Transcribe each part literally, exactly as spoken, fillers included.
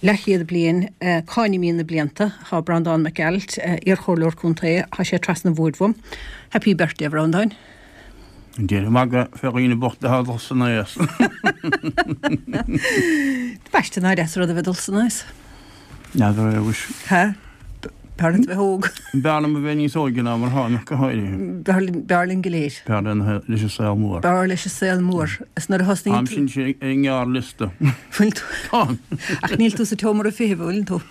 Leathchéad bliain, Cá n-imíonn na blianta? Tá Breandán Mac Gearailt, iarchomhairleoir contae, tá sé trasna an bhoird uaim. Happy birthday, a Bhreandáin. Déan magadh fé dhaoine bochta atá ag dul san aos. B'aiste nár dheas rud a bheith ag dul san aos. N'fheadar é, mhuis. Ha? B'fhearr leat a bheith óg. B'fhearr liom a bheith níos óige ná mar tháim ach go háirithe. B'fhearr linn go léir. B'fhearr linn leis an saol mór. B'fhearr leis an saol mór. Is nuair a thosnaíonn tú. Táim sin ar an ngearrliosta. Bhfuil tú? Táim. Ach níl tú sa tseomra feithimh, an bhfuil tú?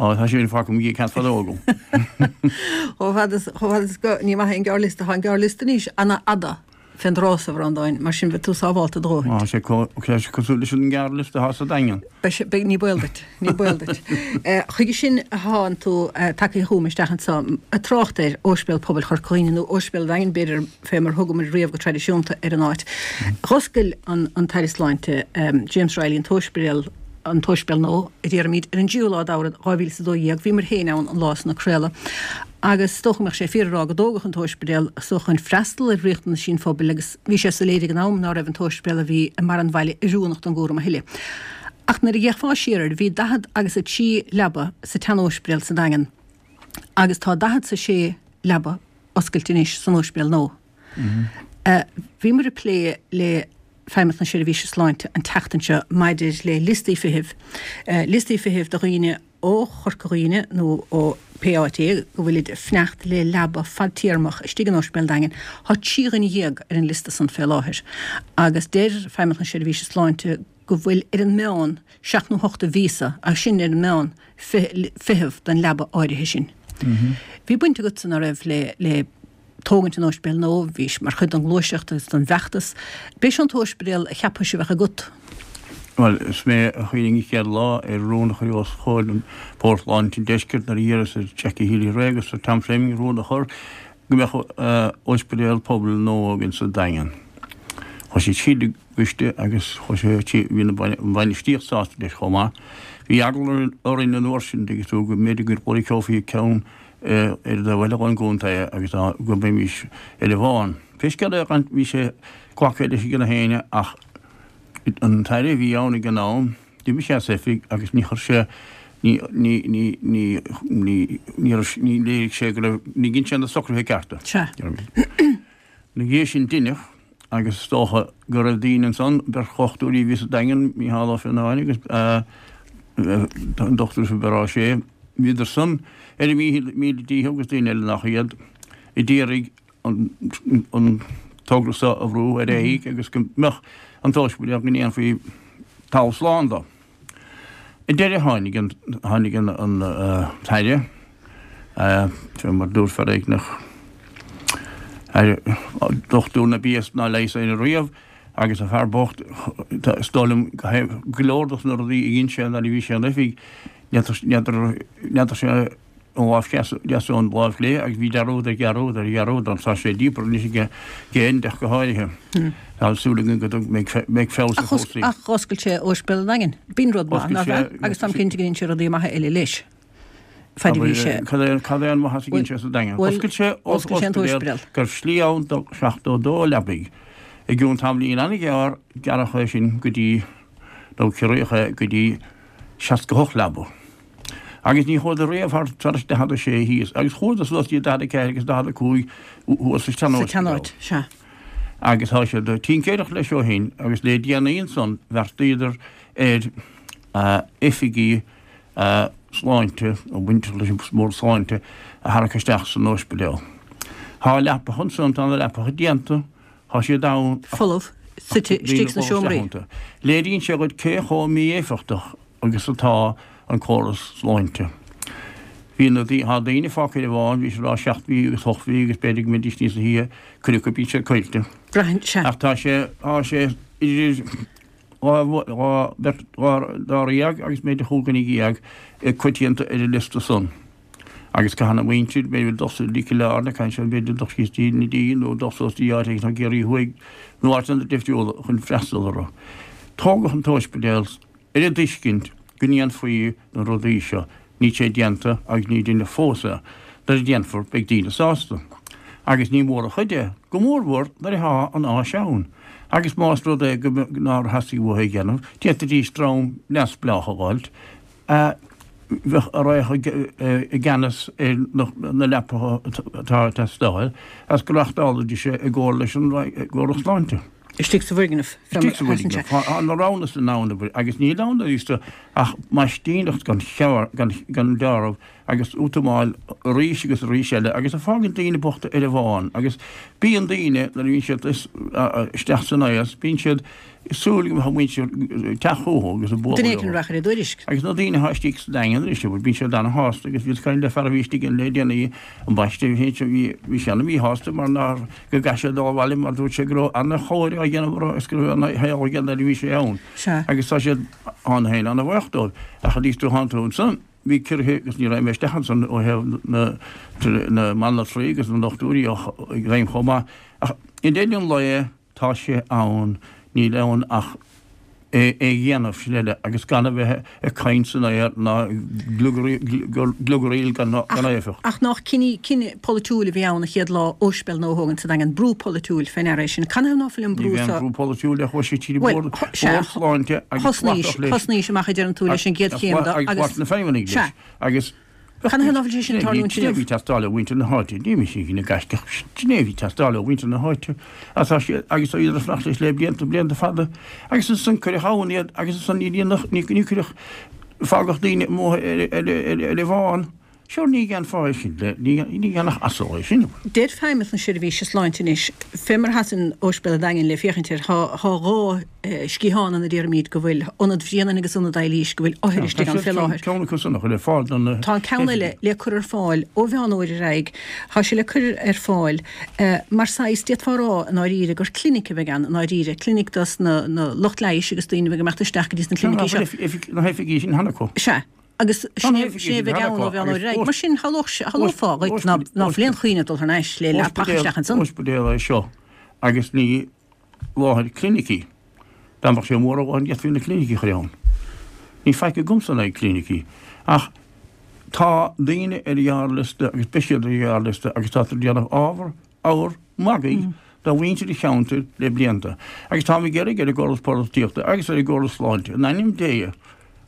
Ó, tá sin fágtha agam cead fadó agam. Chomh fada is, chomh fada is go, ní maith é an gearrliosta, tá an gearrliosta anois ana-fhada fén dtráth so, a Bhreandáin, mar sin beidh tú sábhálta a dhóthain. Tá sé cosúil leis an ngearrliosta atá sa Daingean. Beidh sé, beidh, ní baol duit, ní baol duit. Chuige sin a thánn tú tagtha chugam isteach anso, ag trácht ar Ospidéal Pobail Chorca Dhuibhne, nó Ospidéal an Daingin, b'fhéidir, fé mar thugamar riamh go traidisiúnta ar an áit. Dh'oscail an, an tAire Sláinte, James Reilly, an t-ospidéal, an t-ospidéal nua, a déarfaimid, ar an dtríú lá d'Fheabhra dhá mhíle is a dó dhéag. Bhíomar féin ann an lá san ag craoladh agus is dócha go mbeadh sé fíor a rá go dtógadh an t-ospidéal so chun freastal ar riachtanaisí an phobail agus bhí sé soiléir ag an am ná raibh an t-ospidéal a bhí i mbarr an bhaile oiriúnach don gcúram a thuilleadh. Ach nuair a d'fhéachfá siar air, bhí daichead agus a trí leaba sa tsean-ospidéal sa Daingean agus tá daichead 's a sé leaba oscailte anois san ospidéal nua. Bhíomar ag plé le Feidhmeannacht na Seirbhíse Sláinte an tseachtain seo maidir le liostaí feithimh, liostaí feithimh do dhaoine ó Chorca Dhuibhne nó ó pé áit é go bhfuilid ag fanacht le leaba fadtéarmach istigh in Ospidéal an Daingin. Tá trí dhuine dhéag ar an liosta san fé láthair agus deir Feidhmeannacht na Seirbhíse Sláinte go bhfuil ar an meán seacht nó hocht de mhíosa, agus sin ar an meán, feitheamh don leaba áirithe sin. Bhí baint agatsa, ná raibh, le le tógaint an ospidéil nua, bhís mar chuid den ghluaiseacht agus den bhfeachtas. B'é seo an t-ospidéal a cheapais a bheadh agat? Bhuel, is mé a chuimhnigh an chéad lá ar rún a chur os comhair an Bhord Sláinte an Deiscirt nuair a d'iarras ar Jackie Healy-Rae agus ar Tom Fleming rún a chur go mbeadh ospidéal pobail nua againn sa Daingean. Chuaigh siad tríd an gcoiste agus chuaigh sé, bhí an bhainistíocht sásta leis chomh maith. Bhí eagla orainn an uair sin, tuigeann tú, go mb'fhéidir go gcloiceofaí ceann ar an dtaobh eile den gcontae agus go mbeimis ar an bhfán. Pé scéal é, bhí sé glactha leis ag gach éinne ach an tAire a bhí ann ag an am, d'imigh sé as oifig agus ní chuir sé, ní, ní, ní, ní, ní, ní raibh, ní léirigh sé go raibh, ní dhein sé na socruithe cearta. Sea. Ina dhiaidh sin deineadh agus is dócha go raibh daoine ansan, beirt dhochtúirí a bhí sa Daingean, Mícheál Ó Fionnáin agus an Dochtúir Pheadar Ó Sé, Bhíodar san ar a míle dícheall agus daoine eile nach iad, a d'iarraidh an togra so a bhrú ar aghaidh agus go mbeadh an t-ospidéal, go ndéanfaí talamh slán dó. Ar deireadh tháinig an, tháinig an, an tAire, fé mar dúirt fear éigneach, dochtúir ná bíos ná leigheas éinne riamh, agus an fear bocht, is dóigh liom go leor dos na rudaí a dhein sé nuair a bhí sé in oifig, N'fheadar sé an lámh dheas ón lámh chlé agus bhí dearúd ar dhearúd ar dhearúd ann. Tá sé díobartha anois aige géint ach go háirithe. Tá súil againn go mbeidh feabhas ar chúrsaí. Ach dh'oscail sé Ospidéal an Daingin. B'in rud maith, nárbh ea? Agus táim cinnte go ndein sé rudaí maithe eile leis. Faid a bhí sé. Cad é an maitheas a dhein sé sa Daingean? Dh'oscail sé ospidéal go raibh slí ann do seachtó dó leabaidh. I gcionn tamaillín an-ghearr gearradh é sin go dtí, nó ciorraíodh é go dtí, seasca hocht leaba. Agus ní chuadar riamh thar thar daichead a sé thíos, agus chuadar suas dtí daichead a ceathair agus daichead a cúig thuas sa Sa tseanáit, sea. Agus tá siad ag tincéireacht leis ó shin, agus le déanaí ansan bheartaíodar ar oifigí sláinte, nó bainteach leis an mBord Sláinte, a tharrac isteach san ospidéal. Tá leapacha ansan, tá na leapacha déanta, Tá siad ann ach folamh, suite istigh sna seomraí. Léiríonn sé dhuit cé chomh mí-éifeachtach agus atá an córas sláinte. Bhí na, tá daoine fágtha ar an bhfán, bhí siad ag rá seacht mhí agus ocht mhí agus b'fhéidir go mbeidís níos luaithe, cuid acu bíonn siad caillte. Braitheann, sea. Ach tá sé, tá sé idir dhá, dhá, beirt, dhá, dáréag agus b'fhéidir chúig dhuine dhéag coitianta ar an liosta san. Agus caithfidh an mhuintir, b'fhéidir, dul suas dtí Cill Airne, caithfidh siad, b'fhéidir, dul síos dtí na Dí nó dul suas dtí áit éigin i gCiarraí Thuaidh nó áiteanna difriúla chun freastal orthu. Tógadh an t-ospidéal ar an dtuiscint go ndéanfaí na rudaí seo. Níl sé déanta agus ní deineadh fós é. Nuair a déanfar, beidh daoine sásta. Agus ní mór an chuid é, go mórmhór nuair atá an áis ann. Agus más rud é go nár theastaigh uathu é a dhéanamh, d'fhéadfaidís dream neamhspleách a dh'fháilt, Bheadh a raghadh i gceannas ar na leapacha atá ag teastáil agus go reáchtálfaidís é i gcomhar leis an gcóras sláinte. Istigh sa bhfoirgneamh. Istigh sa bhfoirgneamh. Tá na roghanna san ann agus níl ann arís ach maistíneacht gan gan dealramh agus útamáil arís agus arís eile agus a fágann daoine bochta ar an bhfán agus bíonn daoine nuair a bhíonn siad isteach san aos bíonn siad ag súil go mbeadh a muintir ag teacht chucu agus ag bualadh Duine éicint a rachaidh ar a dtuairisc. Agus na daoine atá istigh sa Daingean anois, bíonn siad ana-shásta agus bhíos ag caint le fear a bhí istigh ann le déanaí, ambaiste, bhí bhí sé ana-mhíshásta mar nár, go gcaithfidh sé dul abhaile mar dúirt sé go raibh ana-chóir á dhéanamh orthu agus go raibh ana-shaol aige nuair a bhí sé ann. Sea. Agus tá siad ann féin ana-bhuíoch dóibh. Ach arís tú thánn tú ansan, bhí ciorruithe agus ní raibh mé isteach ansan ó thaobh na na mbanaltraí agus na ndochtúirí i bhfeidhm chomh maith. Ach i ndeireadh an lae tá sé ann, níl ann ach é a dhéanamh, sin uile, agus gan a bheith ag caint san aer ná gliograíl gan éifeacht. Ach nach cinneadh polaitiúil a bhí ann an chéad lá óispidéal nua a thógaint sa Daingean, brú polaitiúil fé ndeara é sin. Canathaobh ná fuil an brú seo. Ní bhí aon bhrú polaitiúil ach chuaigh sé tríd an Bhord Sláinte agus glacadh leis. Thosnaís amach a deireann tú leis an gcéad chéim de agus. Agus ghlac na feidhmeannaigh leis. Agus. Canathaobh ná fuil sé sin ag tarlúint inniu? Sin é a bhí ag teastáil ó mhuintir na háite. Ní mise ina gaiscíoch. Sin é a bhí ag teastáil ó mhuintir na háite. Agus tá siad, agus tá iad ag fanacht leis le blianta, blianta fada. Agus ansan cuireadh ann iad agus ansan ní dhéanadh, ní cuireadh, fágadh daoine amuigh ar, ar, ar, ar an bhfán. Sure ní dhéanfá é sin le, ní, ní dhéanfadh asal é sin. Deir Feidhmeannas na Seirbhíse Sláinte anois, fé mar a sheasann Óispidéal an Daingin le féachaint air, tá, tá dhá sciathán ann a déarfaimid go bhfuil Ionad Bhrianáin agus Ionad Eilís, go bhfuil othair istigh ann fé láthair. Ceann acu san a chur ar fáil don. Tá an ceann eile le cur ar fáil ó Mheán Fhómhair ar aghaidh. Tá sé le cur ar fáil mar saghas, d'fhéadfá a rá i ndáiríre gur clinic a bheidh ann i ndáiríre, clinic dos na lucht leighis agus daoine a bheidh ag imeacht isteach go dtí sna clinicí seo. Tá na hoifigí sin cheana acu. Sea. Agus sin é a bheidh ann ó Mheán Fhómhair ar aghaidh. Mar sin, shamhlófá dhuit ná fuil aon choinne dul thar n-ais le leapacha isteach ansan. Ospidéal é seo agus ní láthair clinicí. Dá mbeadh sé mór a dhóthain d'fhéadfaí na clinicí a chur ann. Níl faic agamsa in aghaidh clinicí. Ach tá daoine ar ghearrliosta agus beidh siad ar ghearrliosta agus táthar ag déanamh ábhar ábhar magaidh de mhuintir an cheantair le blianta. Agus táim ag iarraidh ar an gcóras polaitíochta agus ar an gcóras sláinte, in ainm Dé,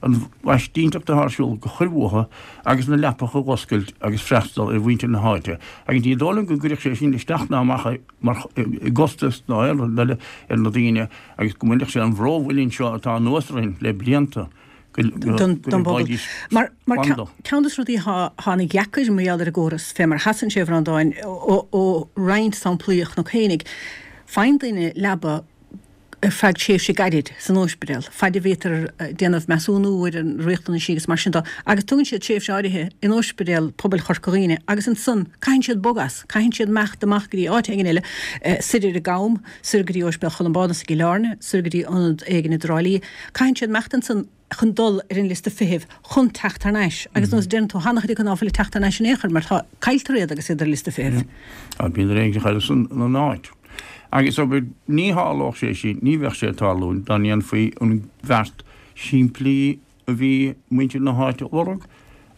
an mhaistíneacht atá ar siúl a chur uathu agus na leapacha a dh'oscailt agus freastal ar mhuintir na háite. Agus ní dóigh liom go gcuirfeadh sé sin isteach ná amach mar i gcostas ná aon rud eile ar na daoine agus go mbainfeadh sé an bhró mhuilinn seo atá anuas orainn le blianta go don bpobal. bhfaighidís Mar mar slán dó. ceann de na rudaí atá atá ana dheacair mar gheall ar an gcóras fé mar a sheasann sé a Bhreandáin ó ó roinnt samplaí a chonac fhéinig, faigheann duine leaba ar feadh tréimhse gairid san óispidéal, faid a bhítear ag déanamh measúnú ar a riachtanaisí agus mar sin de, agus tugann siad tréimhse áirithe in Óispidéal Pobail Chorca Dhuibhne agus ansan caitheann siad bogadh as, caitheann siad imeacht amach go dtí áit éigin eile, soir ar an gCam, soir go dtí Óispidéal Cholmbánus i gCill Airne, soir go dtí ionad éigin i dTrá Lí, caitheann siad imeacht ansan chun dul ar an liosta feithimh chun teacht thar n-ais agus nós a deireann tú tá an-chuid acu ná fuil ag teacht thar n-ais in aon chor mar tá, cailltear iad agus iad ar liosta feithimh. Tá, bíonn ar éigean san an áit. Agus abair, ní tharlódh sé sin, ní bheadh sé ag tarlúint dá ndéanfaí an bheart simplí a bhí muintir na háite a lorg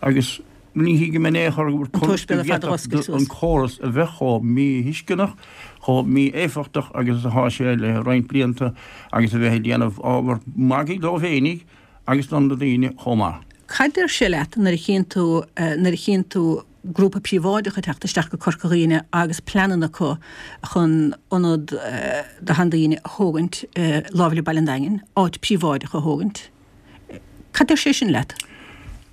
agus ní thuigim in aon chor go An t-ospidéal ar fad a dh'oscailt suas. an córas a bheith chomh míthuisceanach, chomh mí-éifeachtach agus atá sé le roinnt blianta agus a bheith ag déanamh ábhar magaidh dóibh fhéinig agus do na daoine chomh maith. Cad deir sé leat nuair a chíonn tú, nuair a chíonn tú grúpa príobháideach ag teacht isteach go Corca Dhuibhne agus pleananna acu chun ionad do sheandaoine a thógaint láimh le Baile an Daingin, áit príobháideach a thógaint? Cad deir sé sin leat?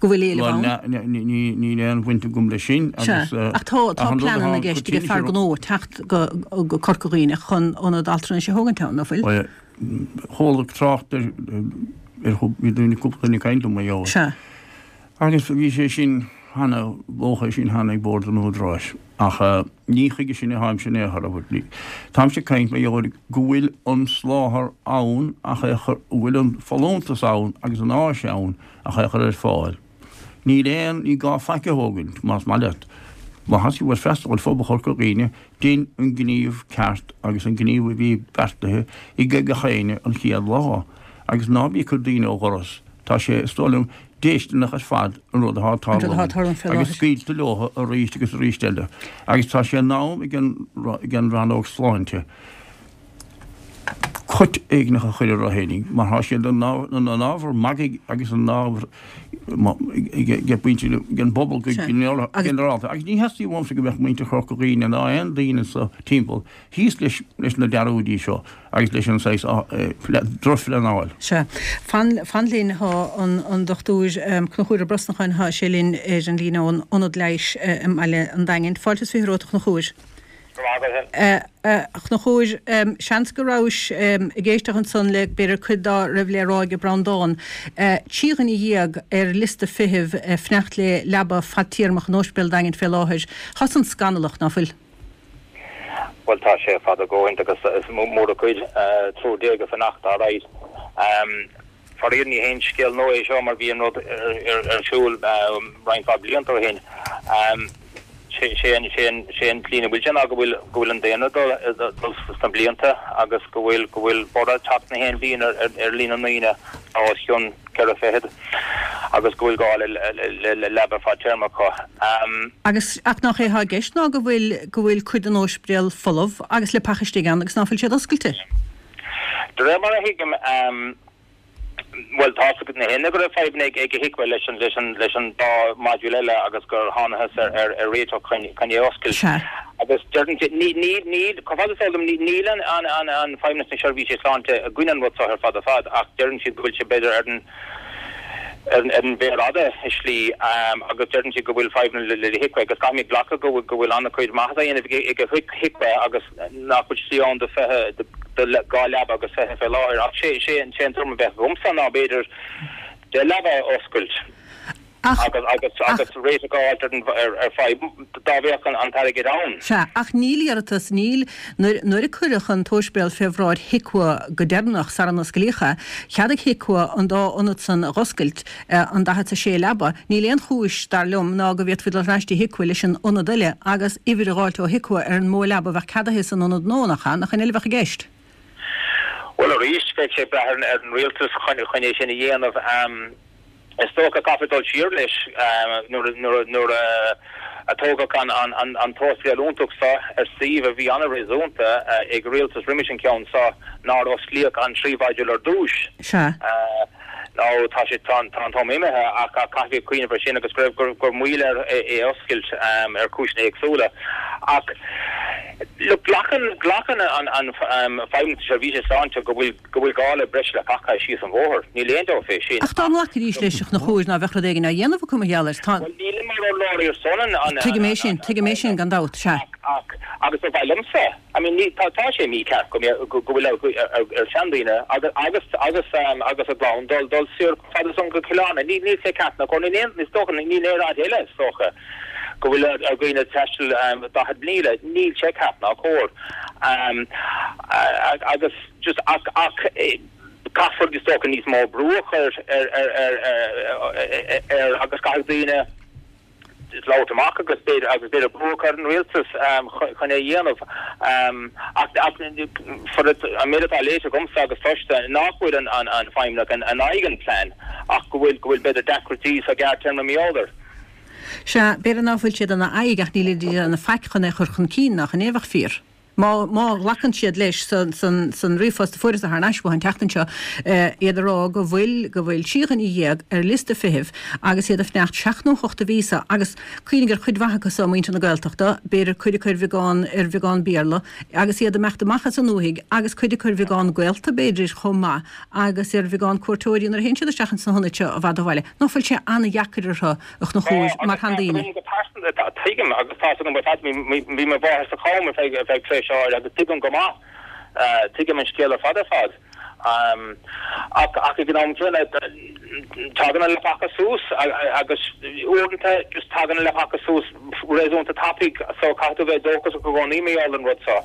Go bhfuil éileamh ann? Bhuel, níl aon bhaint agam leis sin agus. Sea, ach tá tá pleananna i gceist ag fear gnó teacht go go Corca Dhuibhne chun ionad altranais a thógaint ann, ná fuil? Bhuel, chuala trácht ar ar bhí daoine cúpla duine ag caint liom mar gheall air. Sea. Agus bhí sé sin cheana, luadh é sin cheana ag Bord an Údaráis, ach ní chuige sin atáimse in aon chor, abair. Táimse ag caint mar gheall ar go bhfuil an soláthar ann ach é a chur, go bhfuil an folúntas ann agus an áis ann ach é a chur ar fáil. Níl aon, ní gá faic a thógaint, más maith leat. Má tá tú ag freastal ar phobal Chorca Dhuibhne, dein an gníomh ceart agus an gníomh a bhí beartaithe ag gach éinne an chéad lá agus ná bí ag cur daoine ó dhoras. Tá sé, is dóigh liom, déistineach ar fad an rud atá ag tarlúint agus scaoilte leo arís agus arís eile agus tá sé in am ag an ag an rannóg sláinte cut éigneach a chur ar a fhéinig, mar tá siad ina n-ábhar magaidh agus ina n-ábhar ag muintir den bpobal go ginearálta. Agus ní theastaíonn uaimse go mbeadh muintir Chorca Dhuibhne ná aon daoine sa timpeall thíos leis na dearúidí seo agus leis an saghas drochphleanáil. Sea. Fan, fan linn, tá an Dochtúir Conchúr Ó Brosnacháin, tá sé linn ar an líne ón Ionad Leighis i mBaile an Daingin. Fáilte is fiche romhat, a Chonchúir. A Chonchúir, seans go rabhais ag éisteacht ansan le b'fhéidir cuid dá raibh le rá ag Breandán. Trí dhuine dhéag ar liosta feithimh ag fanacht le leaba fadtéarmach in Ospidéal an Daingin fé láthair. Tá san scannalach, ná fuil? Bhuel, tá sé fada go hiontach agus is mór an chuid, triúr déag ag fanacht, alright. Faraor ní haon scéal nua é seo mar bhí an rud ar siúl roinnt mhaith blianta ó shin. Sé an tslí ina bhfuil sé ná go bhfuil go bhfuil an daonra ag dul sna blianta agus go bhfuil go bhfuil borradh ag teacht na haon bhliain ar líon na ndaoine atá os cionn ceithre fichid agus go bhfuil gá le leaba fadtéarmach acu. Agus ach nach é atá i gceist ná go bhfuil go bhfuil cuid den ospidéal folamh agus leapacha istigh ann agus ná fuil siad oscailte? De réir mar a thuigim, bhuel, tá 's ag gach éinne go raibh fadhbanna ag HIQA leis an leis an leis an dá module eile agus gur thánathas ar ar ar réiteach chun chun é a oscailt. Sea. Agus deireann siad, ní ní níl, chomh fada is eol dom, ní níl an an an an Feidhmeannas na Seirbhíse Sláinte i gcoinne an rud seo ar fad ar fad ach deireann siad go bhfuil sé b'fhéidir ar an ar an ar an mhéar fhada i slí agus deireann siad go bhfuil fadhbanna le le HIQA agus caithfimid glacadh go bhfuil go bhfuil an-chuid maitheasa á dhéanamh ag ag HIQA agus nach bhfuil slí ann do fiche do dhá leaba agus fiche fé láthair ach sé sé an sé an tuairim a bheadh agamsa ná b'fhéidir deich leaba a oscailt agus agus agus réiteach a fháilt ar an ar ar fadhb dá bheadh an an t-airgead ann. Sea, ach níl iarratas, níl, nuair nuair a cuireadh an t-ospidéal fé bhráid HIQA go deireanach sara n-osclaíodh é, cheadaigh HIQA an dá ionad san a dh'oscailt, an daichead 's a sé leaba. Níl aon chúis, dar liom, ná go bhféadfaí dul thar n-ais dtí HIQA leis an ionad eile agus uimhir a dh'fháilt ó HIQA ar an mó leaba a bheadh ceadaithe san ionad nua, nach ea? Nach in eile a bheadh i gceist? Bhuel, arís, bheadh sé ag brath ar an rialtas chun é sin a dhéanamh. Is dócha, caithfear dul siar leis, nuair a tógadh an t-ospidéal iontach seo ar suíomh a bhí an-réasúnta ag rialtas roimis an cheann seo, nár osclaíodh an trí mhodule ar dtús. Sea. Now tá sé, tá an t-am imithe ach caithfidh cuimhneamh ar sin agus go raibh, go raibh moill air é a oscailt ar chúiseanna éagsúla. Ach look, glacann, glacann an Feidhmeannas na Seirbhíse Sláinte go bhfuil, go bhfuil gá le breis leapacha síos an bhóthar. Níl aon dabht fé sin. Ach dá nglacfaidís leis, a Chonchúir, ná bheadh rud éigin á dhéanamh acu mar gheall air. Tá. Bhuel, nílim mar urlabhraí ar son an, an, Tuigim é sin, tuigim é sin, gan dabht, sea. Ach, agus ba mhaith liomsa, I mean, ní, tá, tá sé mícheart go mbeadh, go bhfuil ar, ar, ar sheandaoine agus, agus, agus, agus a gclann dul, dul soir chomh fada san go Cill Airne. Ní, níl sé ceart ná cóir, níl aon, is dócha, níl aon áit eile, is dócha, go bhfuil ar, ar dhaoine taisteal daichead míle. Níl sé ceart ná cóir. Agus just, ach, ach, caithfear, is dócha, níos mó brú a chur ar, ar, ar, ar, agus caithfidh daoine, labhairt amach agus b'fhéidir agus b'fhéidir brú a chur ar an rialtas chun é a dhéanamh. Ach an méid atá léite agamsa agus cloiste nach bhfuil an an Feidhmeannach in aghaidh an plean ach go bhfuil go bhfuil b'fhéidir deacrachtaí sa ghearrtéarma mar gheall air. Sea, b'fhéidir ná fuil siad ina aghaidh ach níl siad ag déanamh faic chun é a chur chun cinn, nach in é a bheadh fíor? Má, má ghlacann siad leis san, san, san ríomhphost a fuaireas thar n-ais uathu an tseachtain seo, iad ag rá go bhfuil, go bhfuil trí dhuine dhéag ar liosta feithimh agus iad ag fanacht seacht nó hocht de mhíosa agus cuimhnigh ar chuid mhaith acu so, muintir na Gaeltachta, b'fhéidir cuid acu ar bheagán, ar bheagán Béarla agus iad ag imeacht amach as an ndúthaigh agus cuid acu ar bheagán gaolta b'fhéidir chomh maith agus ar bheagán cuairteoirí nuair a théann siad isteach ins na hionaid seo i bhfad ó bhaile. Ná fuil sé an-dheacair orthu, a Chonchúir, Tá, mar agus tá sheandaoine? agam go pearsanta, tá, tuigim agus tá 's agam ar fad, bhí mo mháthair sa Cham ar feadh, ar feadh tréimhse áirithe agus tuigim go maith, tuigim an scéal ar fad ar fad. Ach, ach ag an am céanna, tagann na leapacha suas agus uaireanta just tagann na leapacha suas réasúnta tapaidh so caithfidh tú bheith dóchasach i gcónaí mar gheall ar an rud seo.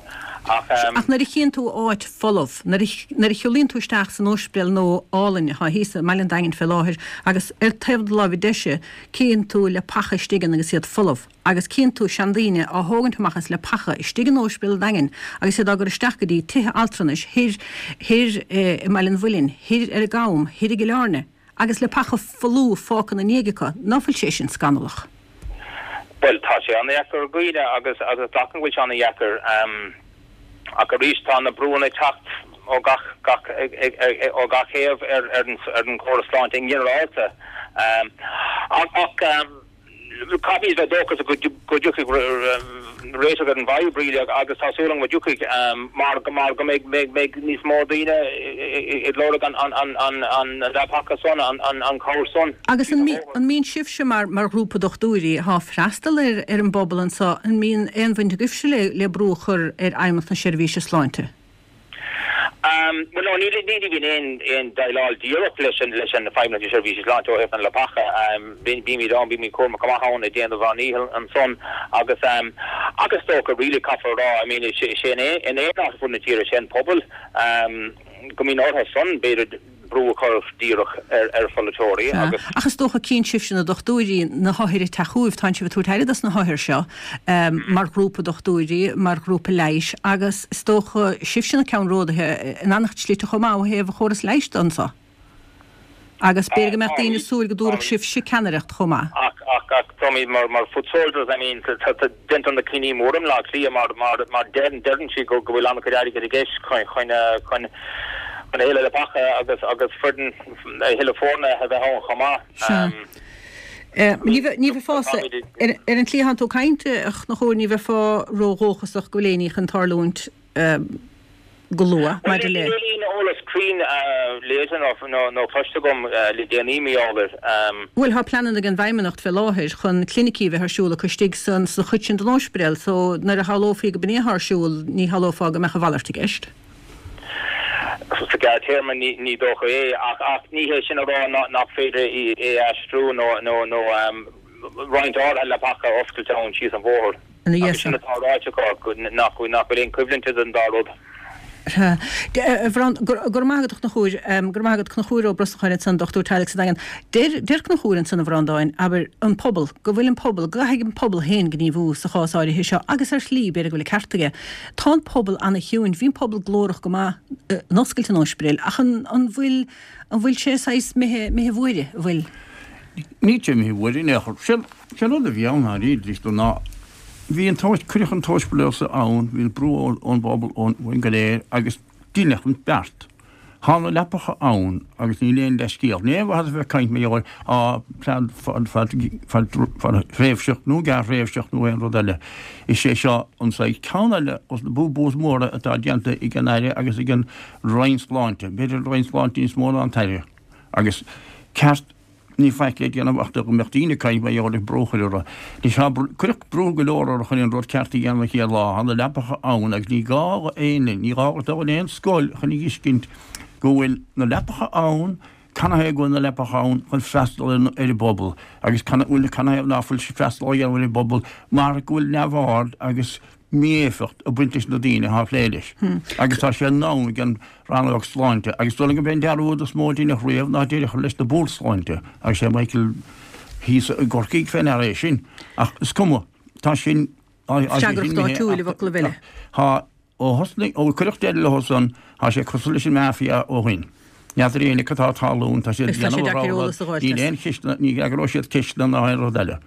Ach. Ach nuair a chíonn tú áit folamh, nuair a, nuair a shiúlaíonn tú isteach san ospidéal nua álainn atá thíos i mBaile an Daingin fé láthair agus ar taobh na láimhe deise cíonn tú leapacha istigh ann agus iad folamh agus cíonn tú seandaoine á thógaint amach as leapacha istigh in Ospidéal an Daingin agus iad á gcur isteach go dtí tithe altranais thoir, thoir i mBaile an Mhuilinn, thoir ar an gCam, thoir i gCill Airne agus leapacha folmha fágtha ina ndiaidh acu. Ná fuil sé sin scannalach? Bhuel, tá sé an-dheacair ar dhaoine agus agus glacaim go bhfuil sé an-dheacair. Ach arís, tá na brúanna ag teacht ó gach gach ó gach thaobh ar ar an ar an chóras sláinte i nginearálta. Ach caithfimid bheith dóchasach go dtiocfaidh réiteach ar an bhfadhb really agus tá súil agam go dtiocfaidh mar mar go mbeidh mbeidh mbeidh níos mó daoine ag lorg an an an an an leapacha san an an an chabhair san. Agus an an mbíonn sibhse mar mar ghrúpa dochtúirí atá ag freastal ar ar an bpobal anseo, an mbíonn aon bhaint agaibhse le le brú a chur ar Fheidhmeannacht na Seirbhíse Sláinte? Bhuel no, ní ní bhíonn aon aon déileáil díreach leis an leis an Feidhmeannacht na Seirbhíse Sláinte ó thaobh na leapacha. Bímid ann, bímid cúramach go maith ann ag déanamh ár ndícheall ansan agus agus is dócha really caithfear a rá, I mean is é in aon áit ar fud na tíre, is é an pobal go mbíonn orthu san b'fhéidir brú a chur díreach ar ar pholaiteoirí agus. Ach is dócha cíonn sibhse na dochtúirí na hothair ag teacht chugaibh, tánn sibh ag tabhairt aire dos na hothair seo mar ghrúpa dochtúirí, mar ghrúpa leighis agus is dócha sibhse na ceannródaithe in an-chuid slite chomh maith ó thaobh an chóras leighis de anso. Agus b'fhéidir go mbeadh daoine ag súil go dtabharfadh sibhse ceannaireacht chomh maith. Ach ach ach táimid mar mar foot soldiers, I mean tá tá déantar na cinní móra i mBleá Cliath mar mar mar deireann deireann siad go go bhfuil an-chuid airgid i gceist chun chun chun chun a thuilleadh leapacha agus agus foireann a thuilleadh foirne a bheith ann chomh maith. Sea. Ní bheith ní bheifeá ar ar an tslí atánn tú ag caint, a Chonchúir, ní bheifeá ródhóchasach go bhfuil aon ní chun tarlúint go luath maidir le. Níl aon eolas cruinn léite nó cloiste agam le déanaí mar gheall air. Bhuel, tá pleananna ag an bhFeidhmeannacht fé láthair chun clinicí a bheith ar siúl acu istigh san sa chuid sin den ospidéal so nuair a shamhlófaí go b'in é atá ar siúl ní shamhlófá go mbeadh a mhalairt i gceist. Sa ghearrthéarma ní dócha é ach ach ní hé sin a rá nach féidir é a aistriú nó nó nó roinnt áirithe leapacha a oscailt ann síos an bhóthar. Agus sin atá ráite acu nach bhfuil aon choimhlint idir an dá rud. Sea. A Bhreandáin, go raibh maith agat a Chonchúir. Go raibh maith agat Conchúr Ó Brosnacháin ansan, dochtúir teaghlaigh sa Daingean. Deir, deir Conchúr ansan a Bhreandáin, abair, an pobal, go bhfuil an pobal, go gcaithfidh an pobal féin gníomhú sa chás áirithe seo agus ar shlí, b'fhéidir go bhfuil an ceart aige. Tá an pobal ana-chiúin, bhí an pobal glórach go maith in oscailt an ospidéil ach an, an bhfuil, an bhfuil sé saghas imithe, imithe i bhfuaire, an bhfuil? Níl sé imithe i bhfuaire in aon chor. Sé, sé an rud a bhí ann dháiríre, ná Bhí an t-, cuireadh an t-ospidéal so ann, bhí an brú ón bpobal uainn go léir agus deineadh an beart. Tá na leapacha ann agus níl aon leithscéal. Ní aon mhaitheas a bheith ag caint mar gheall ar plean fadthréimhseach nó gearrthréimhseach nó aon rud eile. Is é seo an saghas ceann eile dos na boo-boos móra atá déanta ag an Aire agus ag an Roinn Sláinte, b'fhéidir an Roinn Sláinte níos mó ná an tAire. Agus ceart Níl faic le déanamh ach go mbeadh daoine ag caint mar gheall ar brú a chur orthu. Anois tá, cuireadh brú go leor orthu chun an rud ceart a dhéanamh an chéad lá. Tá na leapacha ann agus ní gá do éinne, ní gá duit dul in aon scoil chun a fheiscint go bhfuil na leapacha ann, canathaobh go bhfuil na leapacha ann chun freastal ar an bpobal agus canathaobh ná fuil freastal á dhéanamh ar an bpobal mar go bhfuil neamhaird agus mí-éifeacht ag baint leis na daoine atá ag plé leis. Agus tá sé in am ag an Rannóg Sláinte, agus is dóigh liom gurb é an dearúd is mó a deineadh riamh ná deireadh a chur leis na Boird Sláinte, agus sé Michael thíos i gCorcaigh fé ndeara é sin. Ach is cuma, tá sin, tá sé sin Freagracht imithe áitiúil i bhfoclaibh eile. Tá, ó thosnaigh, ó cuireadh deireadh leo san, tá sé cosúil leis an Mafia ó shin. N'fheadar éinne cad atá ag tarlúint, tá siad ag Is tá sé déanamh a deacair rogha eolas a rud, fháilt níl as. aon cheisteanna, ní fhreagróidh siad ceisteanna ná aon rud eile.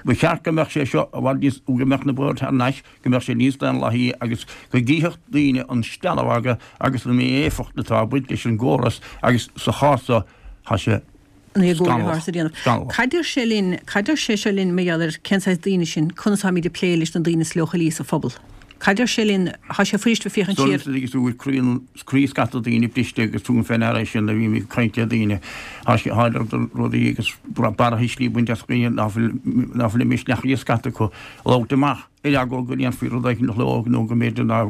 Ba cheart go mbeadh sé seo i bhfad níos, go mbeadh na boird thar n-ais, go mbeadh sé níos daonlathaí agus go gcífeadh daoine an steallamhagadh agus an mí-éifeacht atá ag baint leis an gcóras agus sa chás seo tá sé An é go bhfuil scannalach, thar sa déanamh. scannalach. Cad deir sé linn, cad deir sé seo linn mar gheall ar cén saghas daoine sinn, conas táimid ag plé leis na daoine is leochailí sa phobal? Cad deir sé linn, tá sé fuirist bheith féachaint siar. Is dóigh liom go bhfuil croí croí scata daoine briste agus tugaim fé ndeara é sin nuair a bhím ag caint le daoine. Tá sé tá rudaí agus barrathuislí ag baint as dhaoine ná fuil ná fuil misneach ag scata acu labhairt amach ar eagla go ndéanfaí rud éigin leo nó go mb'fhéidir ná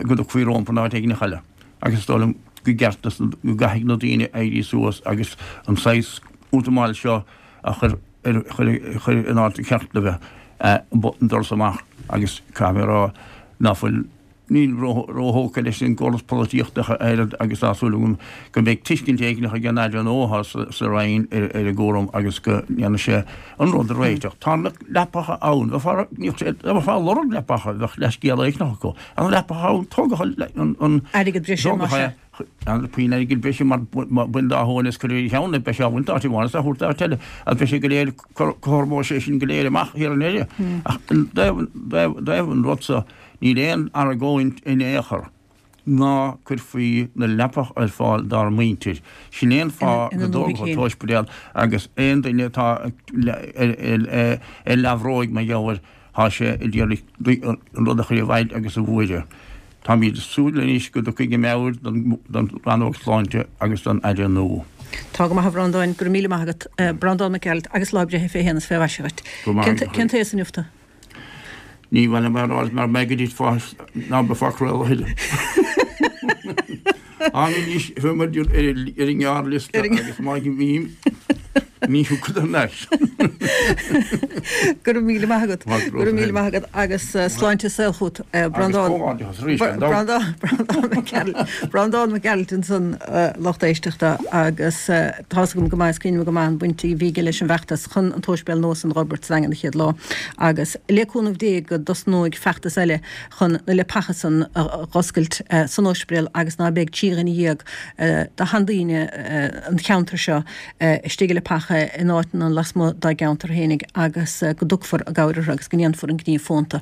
go dtiocfaí rompu in áit éigin eile. Agus is dóigh liom go gceart go gcaithfidh na daoine éirí suas agus an saghas útamáil seo a chur ar chur in áit a cheart le bheith. an doras amach agus caithfidh mé a rá ná fuil, nílim róthógtha leis an gcóras polaitíochta ach oiread agus tá súil agam go mbeidh tuiscint éigin ag an Aire nua atá sa Roinn ar an gcúram agus go ndéanfaidh sé an rud a réiteach. Tá na leapacha ann, bheifeá ag lorg leapacha, bheadh leithscéal éigin acu. Tá na leapacha ann, tógadh an Airgead breise, más ea. An puinn airgid breise mar bain dá thóin is cuir ar a cheann é, beidh sé á bhaint áit amháin is á thabhairt áit eile, agus beidh sé go léir, cothromóidh sé sin go léir amach thiar i ndeireadh. Ach i dtaobh an rud so, níl aon argóint in aon chor. ná cuirfí na leapacha ar fáil dár muintir. Sin é an fáth go dtógfar an t-ospidéal agus aon duine atá ar leathbhróig mar gheall air, tá sé ag iarraidh an rud a chur i bhfeighil agus a bhuaireamh. Táimid ag súil anois go dtiocfaidh i meabhair don Rannóg Sláinte agus don Aire nua. Tá go maith a Bhreandáin, go raibh míle maith agat. Breandán Mac Gearailt agus lá breithe fé shéan is fé mhaise dhuit. Cén t-aos inniu tú? Ní mhaith liom a rá mar mbeidh go dtí fá ná beifeá ag craoladh a thuilleadh. Táim anois ar an ngearrliosta agus má bhím ní thiocfad thar n-ais. Go raibh míle maith agat. Go raibh míle maith agat agus sláinte is saol chugat. Breandán Breandán Mac Gearailt Breandán Mac Gearailt ansan lucht éisteachta agus tá's agam go maith is cuimhin liom go maith an bhaint a bhí aige leis an bhfeachtas chun an t-óispidéal nua san dh'fhorbairt sa Daingean an chéad lá agus le cúnamh Dé go dtosnóidh feachtas eile chun na leapacha san a dh'oscailt san óispidéal agus ná beidh trí dhuine dhéag de sheandaoine an cheantair seo istigh i leapacha in áiteanna lasmuigh dá gceantar fhéinig agus go dtiocfar i gcabhair orthu agus go ndéanfar an gníomh fónta.